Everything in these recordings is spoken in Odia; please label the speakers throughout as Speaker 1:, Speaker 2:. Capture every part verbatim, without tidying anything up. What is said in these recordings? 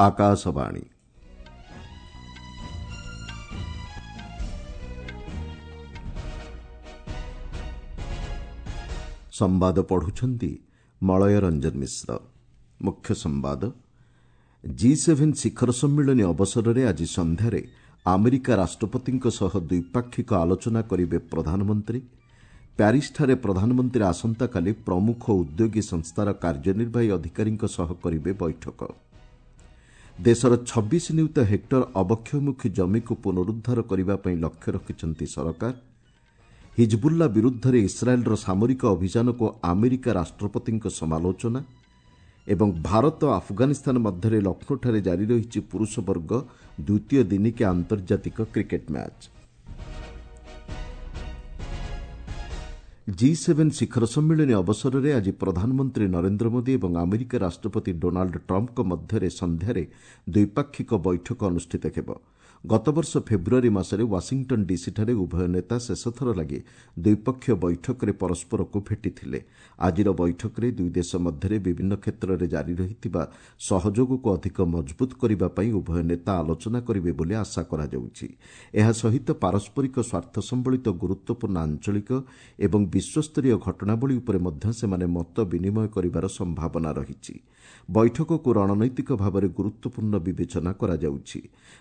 Speaker 1: ଆକାଶବାଣୀ। ସମ୍ବାଦ ପଢୁଛନ୍ତି ମଳୟ ରଞ୍ଜନ ମିଶ୍ର। ମୁଖ୍ୟ ସମ୍ବାଦ। ଜି ସେଭେନ୍ ଶିଖର ସମ୍ମିଳନୀ ଅବସରରେ ଆଜି ସନ୍ଧ୍ୟାରେ ଆମେରିକା ରାଷ୍ଟ୍ରପତିଙ୍କ ସହ ଦ୍ୱିପାକ୍ଷିକ ଆଲୋଚନା କରିବେ ପ୍ରଧାନମନ୍ତ୍ରୀ। ପ୍ୟାରିସ୍ଠାରେ ପ୍ରଧାନମନ୍ତ୍ରୀ ଆସନ୍ତାକାଲି ପ୍ରମୁଖ ଉଦ୍ୟୋଗୀ ସଂସ୍ଥାର କାର୍ଯ୍ୟନିର୍ବାହୀ ଅଧିକାରୀଙ୍କ ସହ କରିବେ ବୈଠକ। ଦେଶର ଛବିଶ ନିୟୁତ ହେକ୍ଟର ଅବକ୍ଷୟମୁଖୀ ଜମିକୁ ପୁନରୁଦ୍ଧାର କରିବା ପାଇଁ ଲକ୍ଷ୍ୟ ରଖିଛନ୍ତି ସରକାର। ହିଜବୁଲ୍ଲା ବିରୁଦ୍ଧରେ ଇସ୍ରାଏଲ୍ର ସାମରିକ ଅଭିଯାନକୁ ଆମେରିକା ରାଷ୍ଟ୍ରପତିଙ୍କ ସମାଲୋଚନା। ଏବଂ ଭାରତ ଆଫଗାନିସ୍ତାନ ମଧ୍ୟରେ ଲକ୍ଷ୍ନୌଠାରେ ଜାରି ରହିଛି ପୁରୁଷ ବର୍ଗ ଦ୍ୱିତୀୟ ଦିନିକିଆ ଆନ୍ତର୍ଜାତିକ କ୍ରିକେଟ୍ ମ୍ୟାଚ୍। ଜି ସେଭେନ୍ ଶିଖର ସମ୍ମିଳନୀ ଅବସରରେ ଆଜି ପ୍ରଧାନମନ୍ତ୍ରୀ ନରେନ୍ଦ୍ର ମୋଦି ଏବଂ ଆମେରିକା ରାଷ୍ଟ୍ରପତି ଡୋନାଲ୍ଡ ଟ୍ରମ୍ପଙ୍କ ମଧ୍ୟରେ ସନ୍ଧ୍ୟାରେ ଦ୍ୱିପାକ୍ଷିକ ବୈଠକ ଅନୁଷ୍ଠିତ ହେବ। ଗତବର୍ଷ ଫେବୃଆରୀ ମାସରେ ୱାଶିଂଟନ୍ ଡିସିଠାରେ ଉଭୟ ନେତା ଶେଷଥର ଲାଗି ଦ୍ୱିପକ୍ଷୀୟ ବୈଠକରେ ପରସ୍ପରକୁ ଭେଟିଥିଲେ। ଆଜିର ବୈଠକରେ ଦୁଇ ଦେଶ ମଧ୍ୟରେ ବିଭିନ୍ନ କ୍ଷେତ୍ରରେ ଜାରି ରହିଥିବା ସହଯୋଗକୁ ଅଧିକ ମଜବୁତ କରିବା ପାଇଁ ଉଭୟ ନେତା ଆଲୋଚନା କରିବେ ବୋଲି ଆଶା କରାଯାଉଛି। ଏହା ସହିତ ପାରସ୍ପରିକ ସ୍ୱାର୍ଥ ସମ୍ବଳିତ ଗୁରୁତ୍ୱପୂର୍ଣ୍ଣ ଆଞ୍ଚଳିକ ଏବଂ ବିଶ୍ୱସ୍ତରୀୟ ଘଟଣାବଳୀ ଉପରେ ମଧ୍ୟ ସେମାନେ ମତ ବିନିମୟ କରିବାର ସମ୍ଭାବନା ରହିଛି। ବୈଠକକୁ ରଣନୈତିକ ଭାବରେ ଗୁରୁତ୍ୱପୂର୍ଣ୍ଣ ବିବେଚନା କରାଯାଉଛି।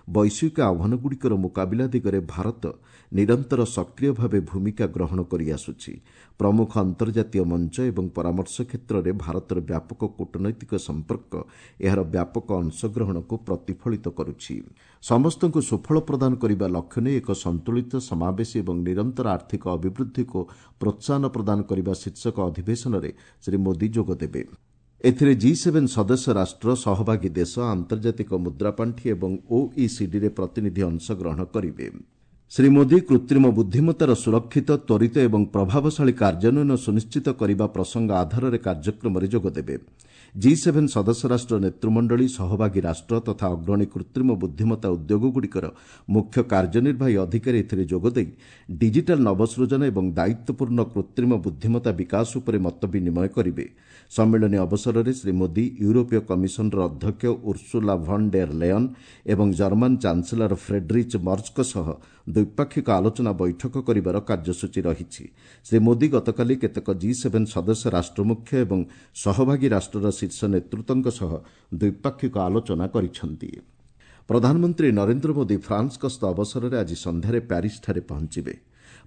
Speaker 1: ବୈଶ୍ୱିକ ଆହ୍ୱାନଗୁଡ଼ିକର ମୁକାବିଲା ଦିଗରେ ଭାରତ ନିରନ୍ତର ସକ୍ରିୟ ଭାବେ ଭୂମିକା ଗ୍ରହଣ କରିଆସୁଛି। ପ୍ରମୁଖ ଅନ୍ତର୍ଜାତୀୟ ମଞ୍ଚ ଏବଂ ପରାମର୍ଶ କ୍ଷେତ୍ରରେ ଭାରତର ବ୍ୟାପକ କୂଟନୈତିକ ସମ୍ପର୍କ ଏହାର ବ୍ୟାପକ ଅଂଶଗ୍ରହଣକୁ ପ୍ରତିଫଳିତ କରୁଛି। ସମସ୍ତଙ୍କୁ ସୁଫଳ ପ୍ରଦାନ କରିବା ଲକ୍ଷ୍ୟ ନେଇ ଏକ ସନ୍ତୁଳିତ, ସମାବେଶୀ ଏବଂ ନିରନ୍ତର ଆର୍ଥିକ ଅଭିବୃଦ୍ଧିକୁ ପ୍ରୋତ୍ସାହନ ପ୍ରଦାନ କରିବା ଶୀର୍ଷକ ଅଧିବେଶନରେ ଶ୍ରୀ ମୋଦି ଯୋଗଦେବେ। ଏଥିରେ ଜି ସେଭେନ୍ ସଦସ୍ୟ ରାଷ୍ଟ୍ର, ସହଭାଗୀ ଦେଶ, ଆନ୍ତର୍ଜାତିକ ମୁଦ୍ରାପାଣ୍ଠି ଏବଂ ଓଇସିଡିରେ ପ୍ରତିନିଧି ଅଂଶଗ୍ରହଣ କରିବେ। ଶ୍ରୀ ମୋଦି କୃତ୍ରିମ ବୁଦ୍ଧିମତ୍ତାର ସୁରକ୍ଷିତ, ତ୍ୱରିତ ଏବଂ ପ୍ରଭାବଶାଳୀ କାର୍ଯ୍ୟାନ୍ୱୟନ ସୁନିଶ୍ଚିତ କରିବା ପ୍ରସଙ୍ଗ ଆଧାରରେ କାର୍ଯ୍ୟକ୍ରମରେ ଯୋଗଦେବେ। ଜି ସେଭେନ୍ ସଦସ୍ୟ ରାଷ୍ଟ୍ର ନେତୃମଣ୍ଡଳୀ, ସହଭାଗୀ ରାଷ୍ଟ୍ର ତଥା ଅଗ୍ରଣୀ କୃତ୍ରିମ ବୁଦ୍ଧିମତ୍ତା ଉଦ୍ୟୋଗଗୁଡ଼ିକର ମୁଖ୍ୟ କାର୍ଯ୍ୟନିର୍ବାହୀ ଅଧିକାରୀ ଏଥିରେ ଯୋଗଦେଇ ଡିଜିଟାଲ୍ ନବସୃଜନ ଏବଂ ଦାୟିତ୍ୱପୂର୍ଣ୍ଣ କୃତ୍ରିମ ବୁଦ୍ଧିମତ୍ତା ବିକାଶ ଉପରେ ମତ ବିନିମୟ କରିବେ। ସମ୍ମିଳନୀ ଅବସରରେ ଶ୍ରୀ ମୋଦି ୟୁରୋପୀୟ କମିଶନର ଅଧ୍ୟକ୍ଷ ଉର୍ସୁଲା ଭନ୍ ଡେର୍ ଲେୟନ୍ ଏବଂ ଜର୍ମାନ ଚାନ୍ସେଲର ଫ୍ରେଡ୍ରିଚ୍ ମର୍ଜଙ୍କ ସହ ଦ୍ୱିପାକ୍ଷିକ ଆଲୋଚନା ବୈଠକ କରିବାର କାର୍ଯ୍ୟସୂଚୀ ରହିଛି। ଶ୍ରୀ ମୋଦି ଗତକାଲି କେତେକ ଜି ସେଭେନ୍ ସଦସ୍ୟ ରାଷ୍ଟ୍ରମୁଖ୍ୟ ଏବଂ ସହଭାଗୀ ରାଷ୍ଟ୍ରର ଶୀର୍ଷ ନେତୃତ୍ୱଙ୍କ ସହ ଦ୍ୱିପାକ୍ଷିକ ଆଲୋଚନା କରିଛନ୍ତି। ପ୍ରଧାନମନ୍ତ୍ରୀ ନରେନ୍ଦ୍ର ମୋଦି ଫ୍ରାନ୍ସ ଗସ୍ତ ଅବସରରେ ଆଜି ସନ୍ଧ୍ୟାରେ ପ୍ୟାରିସ୍ଠାରେ ପହଞ୍ଚିବେ।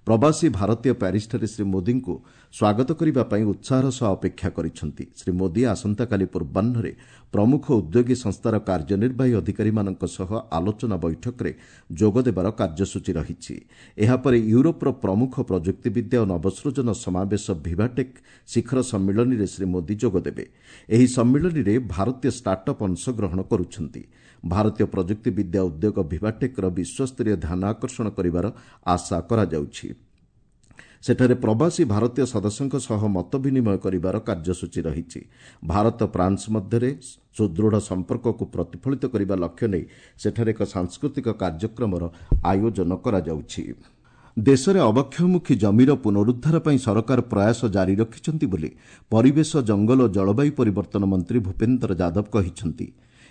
Speaker 1: ପ୍ରବାସୀ ଭାରତୀୟ ପ୍ୟାରିସ୍ଠାରେ ଶ୍ରୀ ମୋଦିଙ୍କୁ ସ୍ୱାଗତ କରିବା ପାଇଁ ଉତ୍ସାହର ସହ ଅପେକ୍ଷା କରିଛନ୍ତି। ଶ୍ରୀ ମୋଦି ଆସନ୍ତାକାଲି ପୂର୍ବାହ୍ନରେ ପ୍ରମୁଖ ଉଦ୍ୟୋଗୀ ସଂସ୍ଥାର କାର୍ଯ୍ୟନିର୍ବାହୀ ଅଧିକାରୀମାନଙ୍କ ସହ ଆଲୋଚନା ବୈଠକରେ ଯୋଗଦେବାର କାର୍ଯ୍ୟସୂଚୀ ରହିଛି। ଏହାପରେ ୟୁରୋପର ପ୍ରମୁଖ ପ୍ରଯୁକ୍ତିବିଦ୍ୟା ଓ ନବସୃଜନ ସମାବେଶ ଭିଭାଟେକ୍ ଶିଖର ସମ୍ମିଳନୀରେ ଶ୍ରୀ ମୋଦି ଯୋଗଦେବେ। ଏହି ସମ୍ମିଳନୀରେ ଭାରତୀୟ ଷ୍ଟାର୍ଟଅପ୍ ଅଂଶଗ୍ରହଣ କରୁଛନ୍ତି। ଭାରତୀୟ ପ୍ରଯୁକ୍ତିବିଦ୍ୟା ଉଦ୍ୟୋଗ ଭିଭାଟେକ୍ର ବିଶ୍ୱସ୍ତରୀୟ ଧ୍ୟାନ ଆକର୍ଷଣ କରିବାର ଆଶା କରାଯାଉଛି। ସେଠାରେ ପ୍ରବାସୀ ଭାରତୀୟ ସଦସ୍ୟଙ୍କ ସହ ମତ ବିନିମୟ କରିବାର କାର୍ଯ୍ୟସୂଚୀ ରହିଛି। ଭାରତ ଫ୍ରାନ୍ସ ମଧ୍ୟରେ ସୁଦୃଢ଼ ସମ୍ପର୍କକୁ ପ୍ରତିଫଳିତ କରିବା ଲକ୍ଷ୍ୟ ନେଇ ସେଠାରେ ଏକ ସାଂସ୍କୃତିକ କାର୍ଯ୍ୟକ୍ରମର ଆୟୋଜନ କରାଯାଉଛି। ଦେଶରେ ଅବକ୍ଷୟମୁଖୀ ଜମିର ପୁନରୁଦ୍ଧାର ପାଇଁ ସରକାର ପ୍ରୟାସ ଜାରି ରଖିଛନ୍ତି ବୋଲି ପରିବେଶ, ଜଙ୍ଗଲ ଓ ଜଳବାୟୁ ପରିବର୍ତ୍ତନ ମନ୍ତ୍ରୀ ଭୂପେନ୍ଦ୍ର ଯାଦବ କହିଛନ୍ତି।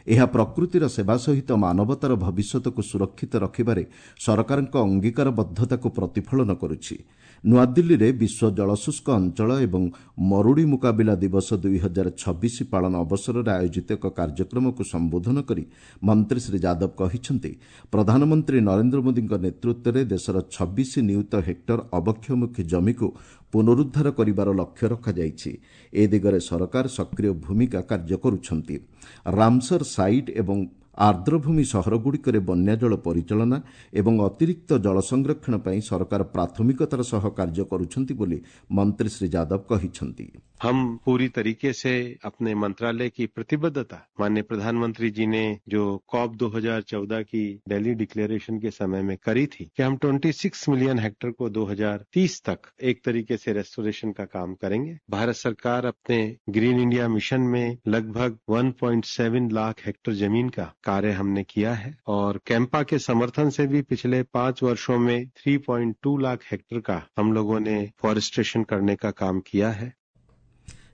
Speaker 1: ଏହା ପ୍ରକୃତିର ସେବା ସହିତ ମାନବତାର ଭବିଷ୍ୟତକୁ ସୁରକ୍ଷିତ ରଖିବାରେ ସରକାରଙ୍କ ଅଙ୍ଗୀକାରବଦ୍ଧତାକୁ ପ୍ରତିଫଳନ କରୁଛି। ନୂଆଦିଲ୍ଲୀରେ ବିଶ୍ୱ ଜଳଶୁଷ୍କ ଅଞ୍ଚଳ ଏବଂ ମରୁଡ଼ି ମୁକାବିଲା ଦିବସ ଦୁଇ ହଜାର ଛବିଶ ପାଳନ ଅବସରରେ ଆୟୋଜିତ ଏକ କାର୍ଯ୍ୟକ୍ରମକୁ ସମ୍ବୋଧନ କରି ମନ୍ତ୍ରୀ ଶ୍ରୀ ଯାଦବ କହିଛନ୍ତି, ପ୍ରଧାନମନ୍ତ୍ରୀ ନରେନ୍ଦ୍ର ମୋଦିଙ୍କ ନେତୃତ୍ୱରେ ଦେଶର ଛବିଶ ନିୟୁତ ହେକ୍ଟର ଅବକ୍ଷୟମୁଖୀ ଜମିକୁ ପୁନରୁଦ୍ଧାର କରିବାର ଲକ୍ଷ୍ୟ ରଖାଯାଇଛି। ଏ ଦିଗରେ ସରକାର ସକ୍ରିୟ ଭୂମିକା କାର୍ଯ୍ୟ କରୁଛନ୍ତି। ରାମସର ସାଇଟ୍ ଏବଂ ଆର୍ଦ୍ରଭୂମି ସହରଗୁଡ଼ିକରେ ବନ୍ୟାଜଳ ପରିଚାଳନା ଏବଂ ଅତିରିକ୍ତ ଜଳ ସଂରକ୍ଷଣ ପାଇଁ ସରକାର ପ୍ରାଥମିକତାର ସହ କାର୍ଯ୍ୟ କରୁଛନ୍ତି ବୋଲି ମନ୍ତ୍ରୀ ଶ୍ରୀ ଯାଦବ କହିଛନ୍ତି।
Speaker 2: हम पूरी तरीके से अपने मंत्रालय की प्रतिबद्धता माननीय प्रधानमंत्री जी ने जो कॉप दो हज़ार चौदह की दिल्ली डिक्लेरेशन के समय में करी थी कि हम छब्बीस मिलियन हेक्टेयर को दो हज़ार तीस तक एक तरीके से रेस्टोरेशन का काम करेंगे। भारत सरकार अपने ग्रीन इंडिया मिशन में लगभग एक पॉइंट सात लाख हेक्टेयर जमीन का कार्य हमने किया है और कैंपा के समर्थन से भी पिछले पांच वर्षों में तीन पॉइंट दो लाख हेक्टेयर का हम लोगों ने फॉरेस्ट्रेशन करने का काम किया है।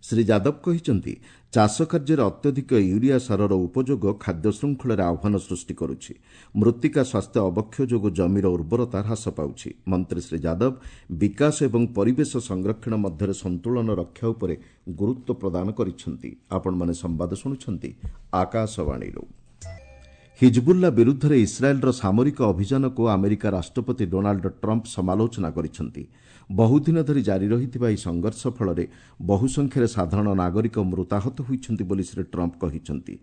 Speaker 1: ଶ୍ରୀ ଯାଦବ କହିଛନ୍ତି, ଚାଷ କାର୍ଯ୍ୟରେ ଅତ୍ୟଧିକ ୟୁରିଆ ସାରର ଉପଯୋଗ ଖାଦ୍ୟ ଶୃଙ୍ଖଳରେ ଆହ୍ୱାନ ସୃଷ୍ଟି କରୁଛି। ମୃତ୍ତିକା ସ୍ୱାସ୍ଥ୍ୟ ଅବକ୍ଷୟ ଯୋଗୁଁ ଜମିର ଉର୍ବରତା ହ୍ରାସ ପାଉଛି। ମନ୍ତ୍ରୀ ଶ୍ରୀ ଯାଦବ ବିକାଶ ଏବଂ ପରିବେଶ ସଂରକ୍ଷଣ ମଧ୍ୟରେ ସନ୍ତୁଳନ ରକ୍ଷା ଉପରେ ଗୁରୁତ୍ୱ ପ୍ରଦାନ କରିଛନ୍ତି। ଆପଣମାନେ ସମ୍ବାଦ ଶୁଣୁଛନ୍ତି ଆକାଶବାଣୀରୁ। ହିଜବୁଲ୍ଲା ବିରୁଦ୍ଧରେ ଇସ୍ରାଏଲ୍ର ସାମରିକ ଅଭିଯାନକୁ ଆମେରିକା ରାଷ୍ଟ୍ରପତି ଡୋନାଲ୍ଡ ଟ୍ରମ୍ପ ସମାଲୋଚନା କରିଛନ୍ତି। ବହୁଦିନ ଧରି ଜାରି ରହିଥିବା ଏହି ସଂଘର୍ଷ ଫଳରେ ବହୁ ସଂଖ୍ୟାରେ ସାଧାରଣ ନାଗରିକ ମୃତାହତ ହୋଇଛନ୍ତି ବୋଲି ଶ୍ରୀ ଟ୍ରମ୍ପ କହିଛନ୍ତି।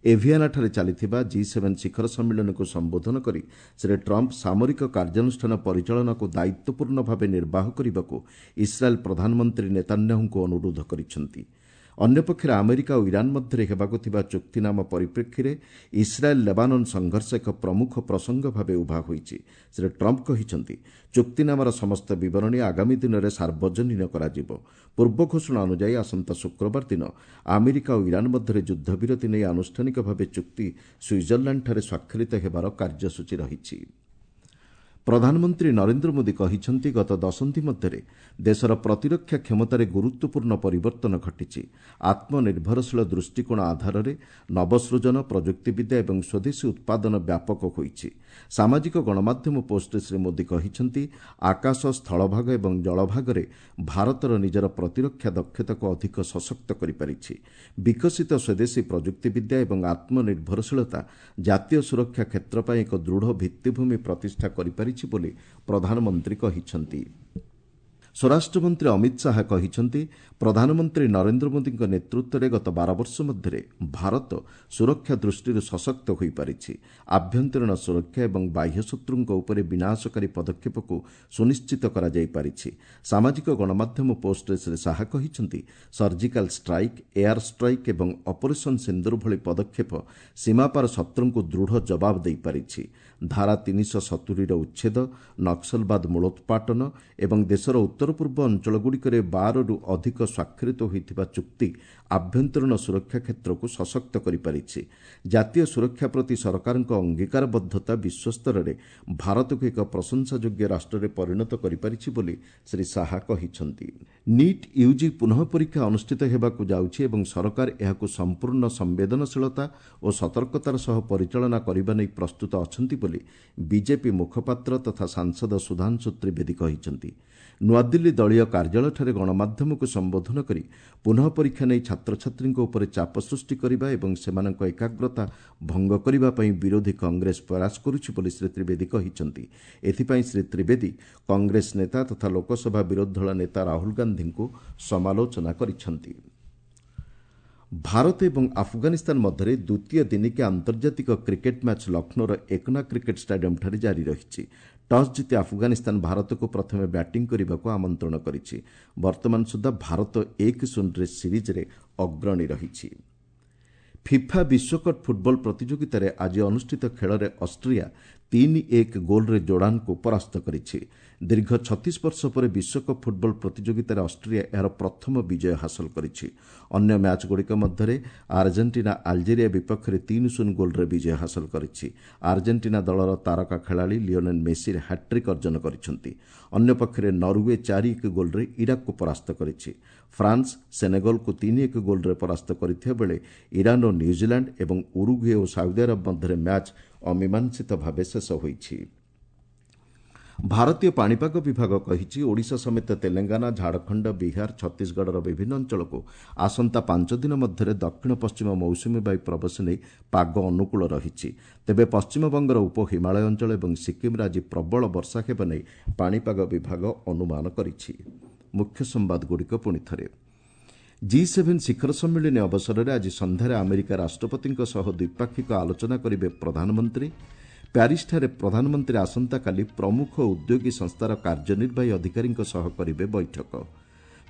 Speaker 1: ଏଭିଆନାଠାରେ ଚାଲିଥିବା ଜି ସେଭେନ୍ ଶିଖର ସମ୍ମିଳନୀକୁ ସମ୍ବୋଧନ କରି ଶ୍ରୀ ଟ୍ରମ୍ପ ସାମରିକ କାର୍ଯ୍ୟାନୁଷ୍ଠାନ ପରିଚାଳନାକୁ ଦାୟିତ୍ୱପୂର୍ଣ୍ଣ ଭାବେ ନିର୍ବାହ କରିବାକୁ ଇସ୍ରାଏଲ୍ ପ୍ରଧାନମନ୍ତ୍ରୀ ନେତାନ୍ୟାହୁଙ୍କୁ ଅନୁରୋଧ କରିଛନ୍ତି। ଅନ୍ୟପକ୍ଷରେ ଆମେରିକା ଓ ଇରାନ୍ ମଧ୍ୟରେ ହେବାକୁ ଥିବା ଚୁକ୍ତିନାମା ପରିପ୍ରେକ୍ଷୀରେ ଇସ୍ରାଏଲ୍ ଲେବାନନ୍ ସଂଘର୍ଷ ଏକ ପ୍ରମୁଖ ପ୍ରସଙ୍ଗ ଭାବେ ଉଭା ହୋଇଛି। ଶ୍ରୀ ଟ୍ରମ୍ପ କହିଛନ୍ତି, ଚୁକ୍ତିନାମାର ସମସ୍ତ ବିବରଣୀ ଆଗାମୀ ଦିନରେ ସାର୍ବଜନୀନ କରାଯିବ। ପୂର୍ବ ଘୋଷଣା ଅନୁଯାୟୀ ଆସନ୍ତା ଶୁକ୍ରବାର ଦିନ ଆମେରିକା ଓ ଇରାନ୍ ମଧ୍ୟରେ ଯୁଦ୍ଧବିରତି ନେଇ ଆନୁଷ୍ଠାନିକ ଭାବେ ଚୁକ୍ତି ସୁଇଜରଲ୍ୟାଣ୍ଡଠାରେ ସ୍ୱାକ୍ଷରିତ ହେବାର କାର୍ଯ୍ୟସୂଚୀ ରହିଛି। ପ୍ରଧାନମନ୍ତ୍ରୀ ନରେନ୍ଦ୍ର ମୋଦି କହିଛନ୍ତି, ଗତ ଦଶନ୍ଧି ମଧ୍ୟରେ ଦେଶର ପ୍ରତିରକ୍ଷା କ୍ଷମତାରେ ଗୁରୁତ୍ୱପୂର୍ଣ୍ଣ ପରିବର୍ତ୍ତନ ଘଟିଛି। ଆତ୍ମନିର୍ଭରଶୀଳ ଦୃଷ୍ଟିକୋଣ ଆଧାରରେ ନବସୃଜନ, ପ୍ରଯୁକ୍ତିବିଦ୍ୟା ଏବଂ ସ୍ୱଦେଶୀ ଉତ୍ପାଦନ ବ୍ୟାପକ ହୋଇଛି। ସାମାଜିକ ଗଣମାଧ୍ୟମ ପୋଷ୍ଟରେ ଶ୍ରୀ ମୋଦି କହିଛନ୍ତି, ଆକାଶ, ସ୍ଥଳଭାଗ ଏବଂ ଜଳଭାଗରେ ଭାରତର ନିଜର ପ୍ରତିରକ୍ଷା ଦକ୍ଷତାକୁ ଅଧିକ ସଶକ୍ତ କରିପାରିଛି। ବିକଶିତ ସ୍ୱଦେଶୀ ପ୍ରଯୁକ୍ତିବିଦ୍ୟା ଏବଂ ଆତ୍ମନିର୍ଭରଶୀଳତା ଜାତୀୟ ସୁରକ୍ଷା କ୍ଷେତ୍ର ପାଇଁ ଏକ ଦୃଢ଼ ଭିତ୍ତିଭୂମି ପ୍ରତିଷ୍ଠା କରିପାରିଛି ବୋଲି ପ୍ରଧାନମନ୍ତ୍ରୀ କହିଛନ୍ତି। ସ୍ୱରାଷ୍ଟ୍ରମନ୍ତ୍ରୀ ଅମିତ ଶାହା କହିଛନ୍ତି, ପ୍ରଧାନମନ୍ତ୍ରୀ ନରେନ୍ଦ୍ର ମୋଦିଙ୍କ ନେତୃତ୍ୱରେ ଗତ ବାର ବର୍ଷ ମଧ୍ୟରେ ଭାରତ ସୁରକ୍ଷା ଦୃଷ୍ଟିରୁ ସଶକ୍ତ ହୋଇପାରିଛି। ଆଭ୍ୟନ୍ତରୀଣ ସୁରକ୍ଷା ଏବଂ ବାହ୍ୟ ଶତ୍ରୁଙ୍କ ଉପରେ ବିନାଶକାରୀ ପଦକ୍ଷେପକୁ ସୁନିଶ୍ଚିତ କରାଯାଇପାରିଛି। ସାମାଜିକ ଗଣମାଧ୍ୟମ ପୋଷ୍ଟରେ ଶ୍ରୀ ଶାହା କହିଛନ୍ତି, ସର୍ଜିକାଲ ଷ୍ଟ୍ରାଇକ୍, ଏୟାର ଷ୍ଟ୍ରାଇକ୍ ଏବଂ ଅପରେସନ୍ ସିନ୍ଦୁର ଭଳି ପଦକ୍ଷେପ ସୀମାପାର ଶତ୍ରୁଙ୍କୁ ଦୃଢ଼ ଜବାବ ଦେଇପାରିଛି। ଧାରା ତିନିଶହ ସତୁରିର ଉଚ୍ଛେଦ, ନକ୍ସଲବାଦ ମୂଳୋତ୍ପାଟନ ଏବଂ ଦେଶର ଉତ୍ତର ପୂର୍ବ ଅଞ୍ଚଳଗୁଡ଼ିକରେ ବାରରୁ ଅଧିକ ସ୍ୱାକ୍ଷରିତ ହୋଇଥିବା ଚୁକ୍ତି ଆଭ୍ୟନ୍ତରୀଣ ସୁରକ୍ଷା କ୍ଷେତ୍ରକୁ ସଶକ୍ତ କରିପାରିଛି। ଜାତୀୟ ସୁରକ୍ଷା ପ୍ରତି ସରକାରଙ୍କ ଅଙ୍ଗୀକାରବଦ୍ଧତା ବିଶ୍ୱସ୍ତରରେ ଭାରତକୁ ଏକ ପ୍ରଶଂସାଯୋଗ୍ୟ ରାଷ୍ଟ୍ରରେ ପରିଣତ କରିପାରିଛି ବୋଲି ଶ୍ରୀ ଶାହା କହିଛନ୍ତି। ନିଟ୍ ୟୁଜି ପୁନଃ ପରୀକ୍ଷା ଅନୁଷ୍ଠିତ ହେବାକୁ ଯାଉଛି ଏବଂ ସରକାର ଏହାକୁ ସମ୍ପୂର୍ଣ୍ଣ ସମ୍ବେଦନଶୀଳତା ଓ ସତର୍କତାର ସହ ପରିଚାଳନା କରିବା ନେଇ ପ୍ରସ୍ତୁତ ଅଛନ୍ତି ବୋଲି ବିଜେପି ମୁଖପାତ୍ର ତଥା ସାଂସଦ ସୁଧାଂଶୁ ତ୍ରିବେଦୀ କହିଛନ୍ତି। ନୂଆଦିଲ୍ଲୀ ଦଳୀୟ କାର୍ଯ୍ୟାଳୟଠାରେ ଗଣମାଧ୍ୟମକୁ ସମ୍ବୋଧନ କରି ପୁନଃ ପରୀକ୍ଷା ନେଇ ଛାତ୍ରଛାତ୍ରୀଙ୍କ ଉପରେ ଚାପ ସୃଷ୍ଟି କରିବା ଏବଂ ସେମାନଙ୍କ ଏକାଗ୍ରତା ଭଙ୍ଗ କରିବା ପାଇଁ ବିରୋଧୀ କଂଗ୍ରେସ ପ୍ରୟାସ କରୁଛି ବୋଲି ଶ୍ରୀ ତ୍ରିବେଦୀ କହିଛନ୍ତି। ଏଥିପାଇଁ ଶ୍ରୀ ତ୍ରିବେଦୀ କଂଗ୍ରେସ ନେତା ତଥା ଲୋକସଭା ବିରୋଧୀ ଦଳ ନେତା ରାହୁଲ ଗାନ୍ଧୀଙ୍କୁ ସମାଲୋଚନା କରିଛନ୍ତି। ଭାରତ ଏବଂ ଆଫଗାନିସ୍ତାନ ମଧ୍ୟରେ ଦ୍ୱିତୀୟ ଦିନିକିଆ ଆନ୍ତର୍ଜାତିକ କ୍ରିକେଟ୍ ମ୍ୟାଚ୍ ଲକ୍ଷ୍ନୌର ଏକନା କ୍ରିକେଟ୍ ଷ୍ଟାଡିୟମ୍ଠାରେ ଜାରି ରହିଛି। ଟସ୍ ଜିତି ଆଫଗାନିସ୍ତାନ ଭାରତକୁ ପ୍ରଥମେ ବ୍ୟାଟିଂ କରିବାକୁ ଆମନ୍ତ୍ରଣ କରିଛି। ବର୍ତ୍ତମାନ ସୁଦ୍ଧା ଭାରତ ଏକ ଶୂନରେ ସିରିଜ୍ରେ ଅଗ୍ରଣୀ ରହିଛି। ଫିଫା ବିଶ୍ୱକପ୍ ଫୁଟବଲ ପ୍ରତିଯୋଗିତାରେ ଆଜି ଅନୁଷ୍ଠିତ ଖେଳରେ ଅଷ୍ଟ୍ରିଆ ତିନି ଏକ ଗୋଲ୍ରେ ଜୋର୍ଡାନକୁ ପରାସ୍ତ କରିଛି। ଦୀର୍ଘ ଛତିଶ ବର୍ଷ ପରେ ବିଶ୍ୱକପ୍ ଫୁଟବଲ ପ୍ରତିଯୋଗିତାରେ ଅଷ୍ଟ୍ରିଆ ଏହାର ପ୍ରଥମ ବିଜୟ ହାସଲ କରିଛି। ଅନ୍ୟ ମ୍ୟାଚ୍ଗୁଡ଼ିକ ମଧ୍ୟରେ ଆର୍ଜେଣ୍ଟିନା ଆଲଜେରିଆ ବିପକ୍ଷରେ ତିନି ଶୂନ ଗୋଲ୍ରେ ବିଜୟ ହାସଲ କରିଛି। ଆର୍ଜେଣ୍ଟିନା ଦଳର ତାରକା ଖେଳାଳି ଲିଓନେଲ୍ ମେସି ହ୍ୟାଟ୍ରିକ୍ ଅର୍ଜନ କରିଛନ୍ତି। ଅନ୍ୟପକ୍ଷରେ ନରୱେ ଚାରି ଏକ ଗୋଲ୍ରେ ଇରାକକୁ ପରାସ୍ତ କରିଛି। ଫ୍ରାନ୍ସ ସେନେଗଲକୁ ତିନି ଏକ ଗୋଲ୍ରେ ପରାସ୍ତ କରିଥିବା ବେଳେ ଇରାନ୍ ଓ ନ୍ୟୁଜିଲାଣ୍ଡ ଏବଂ ଉରୁଗୁଏ ଓ ସାଉଦି ଆରବ ମଧ୍ୟରେ ମ୍ୟାଚ୍ ଅମୀମାଂସିତ ଭାବେ ଶେଷ ହୋଇଛି। ଭାରତୀୟ ପାଣିପାଗ ବିଭାଗ କହିଛି, ଓଡ଼ିଶା ସମେତ ତେଲେଙ୍ଗାନା, ଝାଡ଼ଖଣ୍ଡ, ବିହାର, ଛତିଶଗଡ଼ର ବିଭିନ୍ନ ଅଞ୍ଚଳକୁ ଆସନ୍ତା ପାଞ୍ଚ ଦିନ ମଧ୍ୟରେ ଦକ୍ଷିଣ ପଶ୍ଚିମ ମୌସୁମୀ ବାୟୁ ପ୍ରବେଶ ନେଇ ପାଗ ଅନୁକୂଳ ରହିଛି। ତେବେ ପଶ୍ଚିମବଙ୍ଗର ଉପ ହିମାଳୟ ଅଞ୍ଚଳ ଏବଂ ସିକ୍କିମ୍ରେ ଆଜି ପ୍ରବଳ ବର୍ଷା ହେବା ନେଇ ପାଣିପାଗ ବିଭାଗ ଅନୁମାନ କରିଛି। ମୁଖ୍ୟ ସମ୍ବାଦଗୁଡ଼ିକ ପୁଣି ଥରେ। ଜି ସେଭେନ୍ ଶିଖର ସମ୍ମିଳନୀ ଅବସରରେ ଆଜି ସନ୍ଧ୍ୟାରେ ଆମେରିକା ରାଷ୍ଟ୍ରପତିଙ୍କ ସହ ଦ୍ୱିପାକ୍ଷିକ ଆଲୋଚନା କରିବେ ପ୍ରଧାନମନ୍ତ୍ରୀ। ପ୍ୟାରିସ୍ଠାରେ ପ୍ରଧାନମନ୍ତ୍ରୀ ଆସନ୍ତାକାଲି ପ୍ରମୁଖ ଉଦ୍ୟୋଗୀ ସଂସ୍ଥାର କାର୍ଯ୍ୟନିର୍ବାହୀ ଅଧିକାରୀଙ୍କ ସହ କରିବେ ବୈଠକ।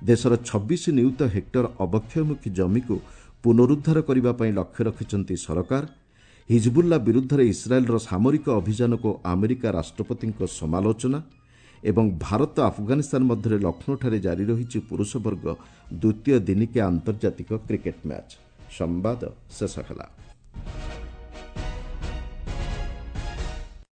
Speaker 1: ଦେଶର ଛବିଶ ନିୟୁତ ହେକ୍ଟର ଅବକ୍ଷୟମୁଖୀ ଜମିକୁ ପୁନରୁଦ୍ଧାର କରିବା ପାଇଁ ଲକ୍ଷ୍ୟ ରଖିଛନ୍ତି ସରକାର। ହିଜବୁଲ୍ଲା ବିରୁଦ୍ଧରେ ଇସ୍ରାଏଲ୍ର ସାମରିକ ଅଭିଯାନକୁ ଆମେରିକା ରାଷ୍ଟ୍ରପତିଙ୍କ ସମାଲୋଚନା ଏବଂ ଭାରତ ଆଫଗାନିସ୍ତାନ ମଧ୍ୟରେ ଲକ୍ଷ୍ନୌଠାରେ ଜାରି ରହିଛି ପୁରୁଷ ବର୍ଗ ଦ୍ୱିତୀୟ ଦିନିକିଆ ଆନ୍ତର୍ଜାତିକ କ୍ରିକେଟ୍ ମ୍ୟାଚ୍। ସମ୍ବାଦ ଶେଷ ହେଲା।